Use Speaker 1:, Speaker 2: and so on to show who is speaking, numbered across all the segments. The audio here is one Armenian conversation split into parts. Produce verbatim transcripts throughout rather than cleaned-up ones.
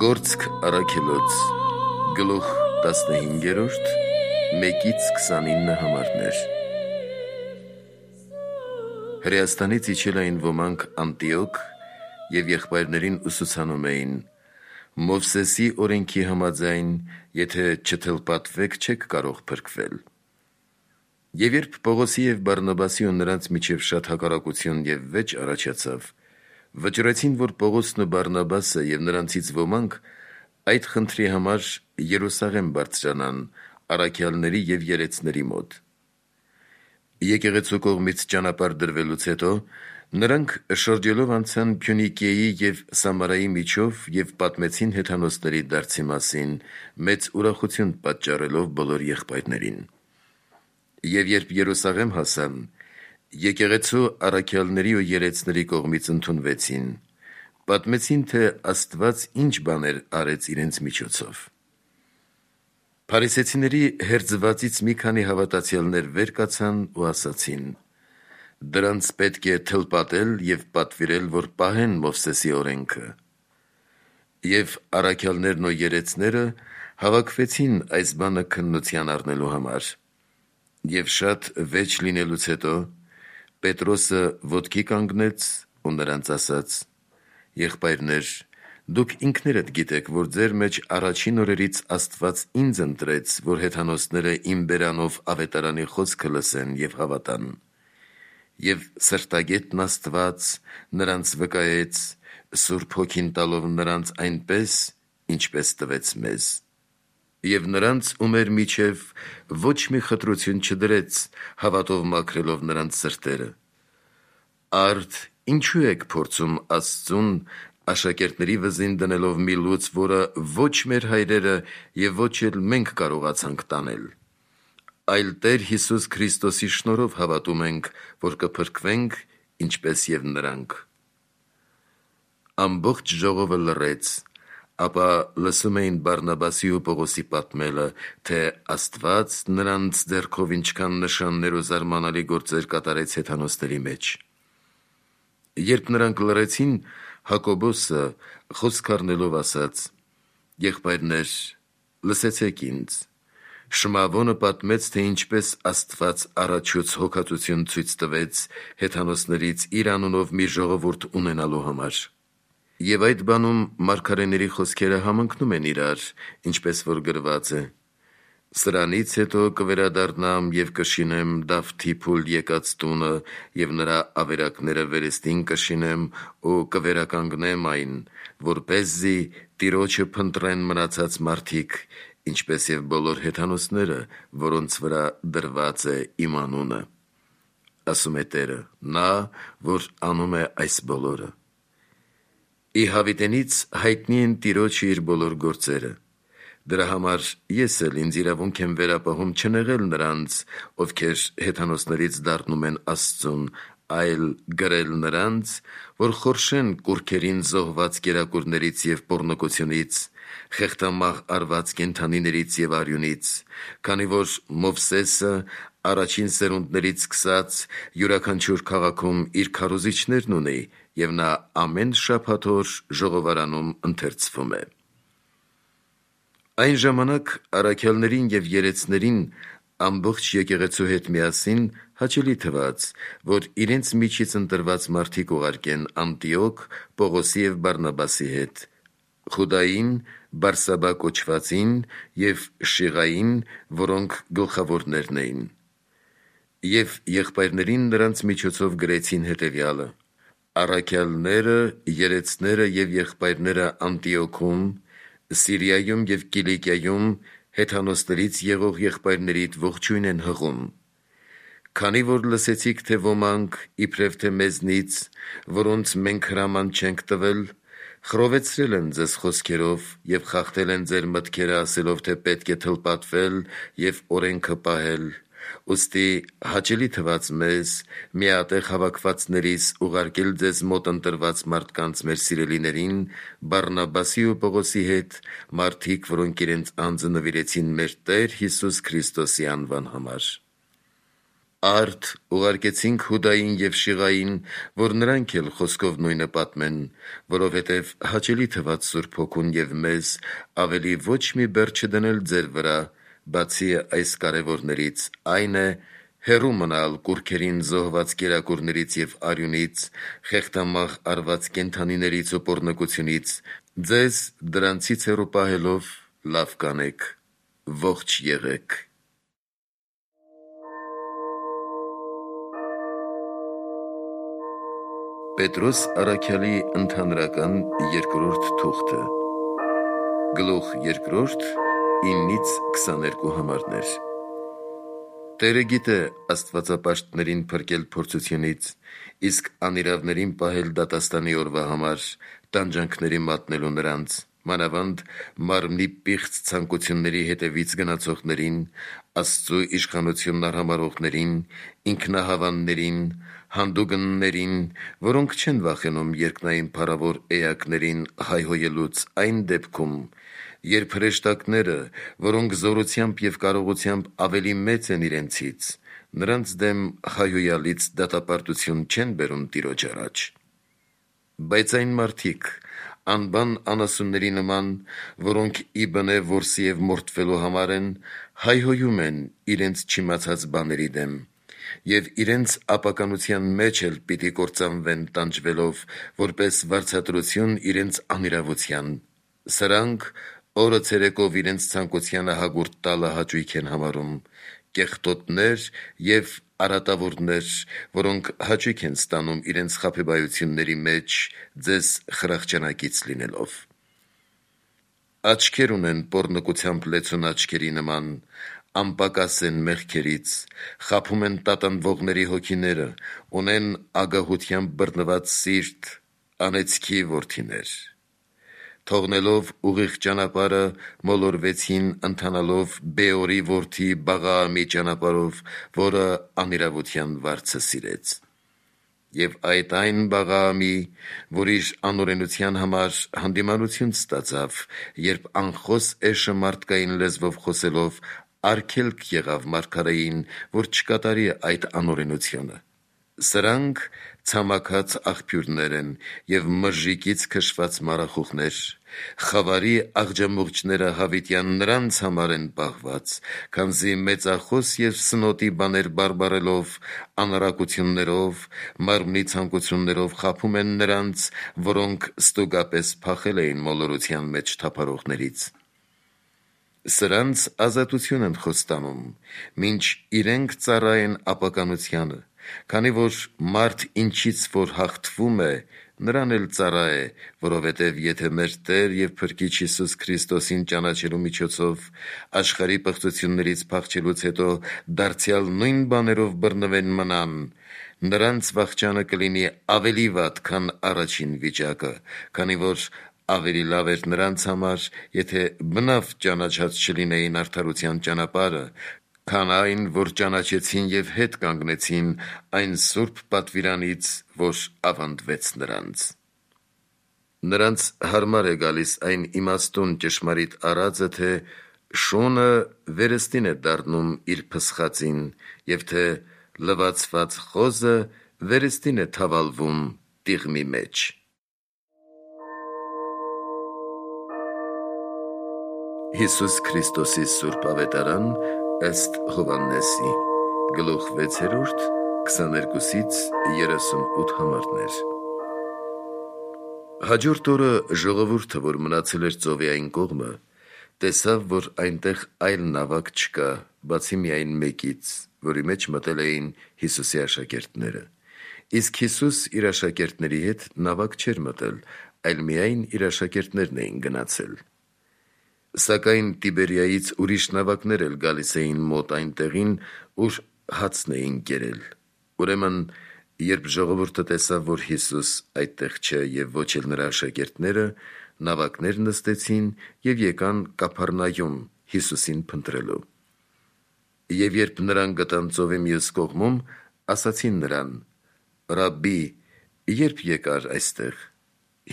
Speaker 1: Գործք առաքելոց գլուխ տասնհինգերորդ մեկից քսանինը համարներ։ Հրեաստանից իջել էին ոմանք Անտիոք և եղբայրներին ուսուցանում էին. Մովսեսի օրենքի համաձայն, եթե չթլպատվեք, չեք կարող փրկվել։ Եվ երբ Պողոսի և Բարնաբասի ու նրանց միջև շատ հակառակություն և վեճ առաջացավ, վճռեցին, որ Պողոսն ու Բարնաբասը և նրանցից ոմանք այդ խնդրի համար Երուսաղեմ բարձրանան առաքյալների և երեցների մոտ։ Եկեղեցու կողմից ճանապարհ դրվելուց հետո նրանք շրջելով անցան Փյունիկիայի և Սամարայի միջով և պատմեցին հեթանոսների դարձի մասին, մեծ ուրախություն պատճառելով բոլոր եղբայրներին։ Եվ երբ Երուսաղեմ հասան, եկեղեցու առաքյալների ու երեցների կողմից ընդունվեցին, պատմեցին, թե Աստված ինչ բաներ արեց իրենց միջոցով։ Փարիսեցիների հերձվածից մի քանի հավատացյալներ վեր կացան ու ասացին. «Դրանց պետք է թլպատել և պատվիրել, որ պահեն Մովսեսի օրենքը»։ Եվ առաքյալներն ու երեցները հավաքվեցին այս բանը քննության առնելու համար։ Եվ շատ վեճ լինելուց հետո Պետրոսը ոտքի կանգնեց ու նրանց ասաց. «Եղբայրներ, դուք ինքներդ գիտեք, որ ձեր մեջ առաջին օրերից Աստված ինձ ընտրեց, որ հեթանոսները իմ բերանով ավետարանի խոսքը լսեն և հավատան։ Եվ սրտագետն Աստված նրանց վկայեց, Սուրբ Հոգին տալով նրանց այնպես, ինչպես տվեց մեզ։ Եվ նրանց ու մեր միջև ոչ մի խտրություն չդրեց, հավատով մաքրելով նրանց սրտերը։ Արդ ինչու եք փորձում Աստծուն աշակերտների վզին դնելով մի լուծ, որը ոչ մեր հայրերը և ոչ էլ մենք կարողացանք տանել։ Այլ Տեր Հիսուս Քրիստոսի շնորհով հավատում ենք, որ կփրկվենք, ինչպես և նրանք»։ Ամբողջ ժողովը լռեց, ապա լսում էին Բարնաբասի ու Պողոսի պատմելը, թե Աստված նրանց ձեռքով ինչքան նշաններ ու զարմանալի գործեր կատարեց հեթանոսների մեջ։ Երբ նրանք լռեցին, Հակոբոսը խոսք առնելով ասաց. «Եղբայրներ, լսեցեք ինձ. Շմավոնը պատմեց, թե ինչպես Աստված առաջուց հոգածություն ցույց տվեց հեթանոսներից իր անունով մի ժողովուրդ ունենալու համար։ Եվ այդ բանում մարգարեների խոսքերը համընկնում են իրար, ինչպես որ գրված է. «Սրանից հետո կվերադառնամ և կշինեմ Դավթի փուլ եկած տունը և նրա ավերակները վերստին կշինեմ ու կվերականգնեմ այն, որպեսզի Տիրոջը փնտրեն մնացած մարդիկ, ինչպես և բոլոր հեթանոսները, որոնց վրա դրված է իմ անունը», ասում է Տերը, նա, որ անում է այս բոլորը։ Ի հավիտենից հայտնի են Տիրոջը իր բոլոր գործերը։ Դրա համար ես էլ ինձ իրավունք եմ վերապահում չնեղել նրանց, ովքեր հեթանոսներից դառնում են Աստծուն, այլ գրել նրանց, որ խորշեն կուռքերին զոհված կերակուրներից և պոռնկությունից, խեղդամահ արված կենդանիներից և արյունից, քանի որ Մովսեսը առաջին սերունդներից սկսած յուրաքանչյուր քաղաքում իր քարոզիչներն ունի, և նա ամեն շաբաթ օր ժողովարանում ընթերցվում է»։ Այն ժամանակ առաքյալներին և երեցներին ամբողջ եկեղեցու հետ միասին հաճելի թվաց, որ իրենց միջից ընտրված մարդիկ ուղարկեն Անտիոք Պողոսի և Բարնաբասի հետ, Խուդային, Բարսաբա կոչվածին և Շիղային, որոնք գլխավորներն էին։ Եվ եղբայրներին նրանց միջոցով գրեցին հետևյալը. «Առաքյալները, երեցները և եղբայրները Անտիոքում, Սիրիայում և Կիլիկիայում հեթանոսներից եղող եղբայրներիդ ողջույն են հղում։ Քանի որ լսեցիք, թե ոմանք, իբրև թե մեզնից, որոնց մենք հրաման չենք տվել, խռովեցրել են ձեզ խոսքերով և խախտել են ձեր մտքերը, ասելով, թե պետք է թլպատվել և օրենքը պահել, ուստի հաճելի թվաց մեզ՝ միատեղ հավաքվածներիս ուղարկել ձեզ մոտ ընտրված մարդկանց մեր սիրելիներին, Բարնաբասի ու Պողոսի հետ, մարդիկ, որոնք իրենց անձը նվիրեցին մեր Տեր Հիսուս Քրիստոսի անվան համար։ Արդ ուղարկեցինք Հուդային և Շիղային, որ նրանք էլ խոսքով նույնը պատմեն, որովհետև հաճելի թվաց Սուրբ Հոգուն և մեզ ավելի ոչ մի բեռ չդնել ձեր վրա, բացի այս կարևորներից, այն է, հեռու մնալ կուռքերին զոհված կերակուրներից և արյունից, խեղդամահ արված կենդանիներից ու պոռնկությունից, ձեզ դրանցից հեռու պահելով լավ կանեք, ողջ եղեք։ Պետրոս առաքյալի ընդհանրական երկրորդ թուղթը, գլուխ երկրորդ, իննից քսաներկու համարներ։ Տերը գիտե աստվածապաշտներին փրկել փորձությունից, իսկ անիրավներին պահել դատաստանի օրվա համար, տանջանքների մատնելու նրանց, մանավանդ մարմնի պիղծ ցանկությունների հետևից գնացողներին, Աստծու իշխանությունն արհամարհողներին, ինքնահավաններին, հանդուգններին, որոնք չեն վախենում երկնային փառավոր էակներին հայհոյելուց այն դեպքում, երբ հրեշտակները, որոնք զորությամբ և կարողությամբ ավելի մեծ են իրենցից, նրանց դեմ հայհոյալից դատապարտություն չեն բերում Տիրոջ առաջ։ Բայց այն մարդիկ, անբան անասունների նման, որոնք ի բնե որսի և մորթվելու համար են, հայհոյում են իրենց չիմացած բաների դեմ, և իրենց ապականության մեջ էլ պիտի կործանվեն տանջվելով, որպես վարձատրություն իրենց անիրավության, սրանք օրը ցերեկով իրենց ցանկությանը հագուրդ տալը հաճույք են համարում, կեղտոտներ և արատավորներ, որոնք հաճույք են ստանում իրենց խաբեբայությունների մեջ ձեզ խրախճանակից լինելով։ Աչքեր ունեն պոռնկությամբ լեցուն աչքերի նման, անպակաս են մեղքերից, խաբում են տատանվողների հոգիները, ունեն ագահությամբ բռնված սիրտ, անեծքի որդիներ։ Թողնելով ուղիղ ճանապարհը, մոլորվեցին ընթանալով Բեորի որդի Բաղաամի ճանապարհով, որը անիրավության վարձը սիրեց։ Եվ այդ այն Բաղաամի, որ իր անօրենության համար հանդիմանություն ստացավ, երբ անխոս էշը մարդկային լեզվով խոսելով արգելք եղավ մարգարեին, որ չկատարի այդ անօրենությունը։ Սրանք ցամաքած աղբյուրներ են և մրրիկից քշված մառախուղներ, խավարի աղջամուղջները հավիտյան նրանց համար են պահված, քանզի մեծախոս և սնոտի բաներ բարբառելով, անառակություններով, մարմնի ցանկություններով խաբում են նրանց, որոնք ստուգապես փախել էին մոլորության մեջ թափառողներից։ Սրանց ազատություն են խոստանում, մինչ իրենք ծառայեն ապականությանը, քանի որ մարդ ինչից որ հաղթվում է, նրան էլ ծառա է, որովհետև եթե մեր Տեր և Փրկիչ Հիսուս Քրիստոսին ճանաչելու միջոցով աշխարհի պղծություններից փախչելուց հետո դարձյալ նույն բաներով բռնվեն մնան, նրանց վախճանը կլինի ավելի վատ, քան առաջին վիճակը, քանի որ ավելի լավ էր նրանց համար, եթե բնավ ճանաչած չլինեին արդարության ճանապարհը, քան այն, որ ճանաչեցին և հետ կանգնեցին այն սուրբ պատվիրանից, որ ավանդվեց նրանց։ Նրանց հարմար է գալիս այն իմաստուն ճշմարիտ արածը, թե շունը վերստին է դառնում իր փսխածին, և թե լվացված խոզը վերստին է թավալվում տիղմի մեջ։ Հիսուս Քրիստոսի Սուրբ Ավետարան ըստ Հովհաննեսի, գլուխ վեցերորդ, քսաներկուսից երեսունութ համարներ։ Հաջորդ օրը ժողովուրդը, որ մնացել էր ծովի այն կողմը, տեսավ, որ այնտեղ այլ նավակ չկա, բացի միայն մեկից, որի մեջ մտել էին Հիսուսի աշակերտները, իսկ Հիսուս իր աշակերտների հետ նավակ չէր մտել, այլ միայն իր աշակերտներն էին գնացել։ Սակայն Տիբերիայից ուրիշ նավակներ էլ գալիս էին մոտ այն տեղին, ուր հացն էին կերել։ Ուրեմն, երբ ժողովուրդը տեսավ, որ Հիսուս այդտեղ չէ և ոչ էլ նրա աշակերտները, նավակներ նստեցին և եկան Կափառնայում Հիսուսին փնտրելու։ Եվ երբ նրան գտան ծովի մյուս կողմում, ասացին նրան. «Ռաբբի, ե՞րբ եկար այստեղ»։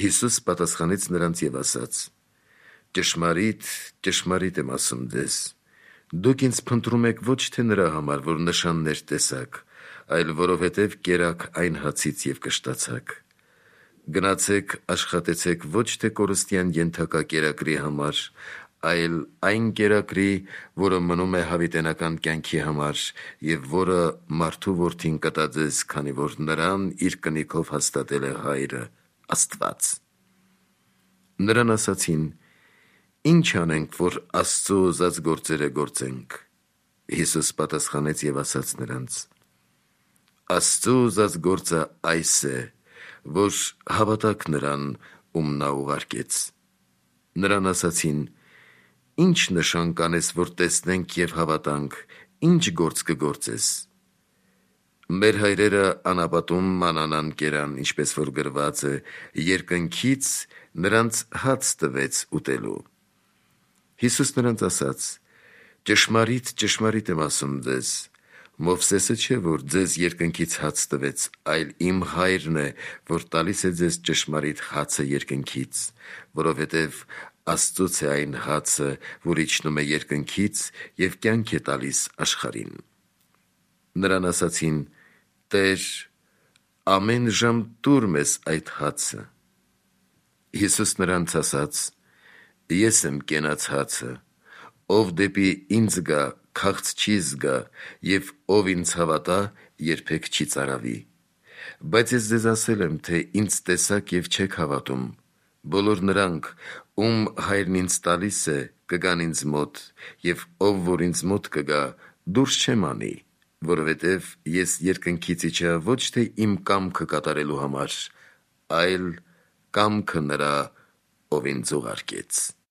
Speaker 1: Հիսուս պատասխանեց նրանց և ասաց. «Ճշմարիտ, ճշմարիտ եմ ասում ձեզ, Դուք ինձ փնտրում եք ոչ թե նրա համար, որ նշաններ տեսաք, այլ որովհետև կերաք այն հացից և կշտացաք։ Գնացեք աշխատեցեք ոչ թե կորստյան ենթակա կերակրի համար, այլ այն կերակրի, որը մնում է հավիտենական կյանքի համար և որը մարդու որդին կտա ձեզ, քանի որ նրան իր կնիքով հաստատել է Հայրը, Աստված։ Նրան ասացին. «Ի՞նչ անենք, որ Աստծո ուզած գործերը գործենք»։ Հիսուս պատասխանեց և ասաց նրանց. «Աստծո ուզած գործը այս է, որ հավատաք նրան, ում նա ուղարկեց»։ Նրան ասացին. «Ի՞նչ նշան կանես, որ տեսնենք և հավատանք, ի՞նչ գործ կգործես»։ Մեր հայրերը անապատում մանանան կերան, ինչպես որ գրված է. երկնքից նրանց հաց տվեց ուտելու։ Հիսուս նրանց ասաց. «Ճշմարիտ, ճշմարիտ եմ ասում ձեզ. Մովսեսը չէ, որ ձեզ երկնքից հաց տվեց, այլ իմ Հայրն է, որ տալիս է ձեզ ճշմարիտ հացը երկնքից, որովհետև Աստծուց է այն հացը, որ իջնում է երկնքից և կյանք է տալիս աշխարհին»։ Նրան ասացին. «Տե՛ր, ամեն ժամ տուր մեզ այդ հացը»։ Հիսուս նրանց ասաց. «Ես եմ կենաց հացը. ով դեպի ինձ գա, քաղց չի զգա, և ով ինձ հավատա, երբեք չի ծարավի։ Բայց ես ձեզ ասել եմ, թե ինձ տեսաք և չեք հավատում։ Բոլոր նրանք, ում Հայրն ինձ տալիս է, կգան ինձ մոտ, և ով որ ինձ մոտ կգա, դուրս չեմ անի, որովհետև ես երկնքից իջա ոչ թե իմ կամքը կատարելու համար, այլ կամքը նրա, ով ինձ ուղարկեց»։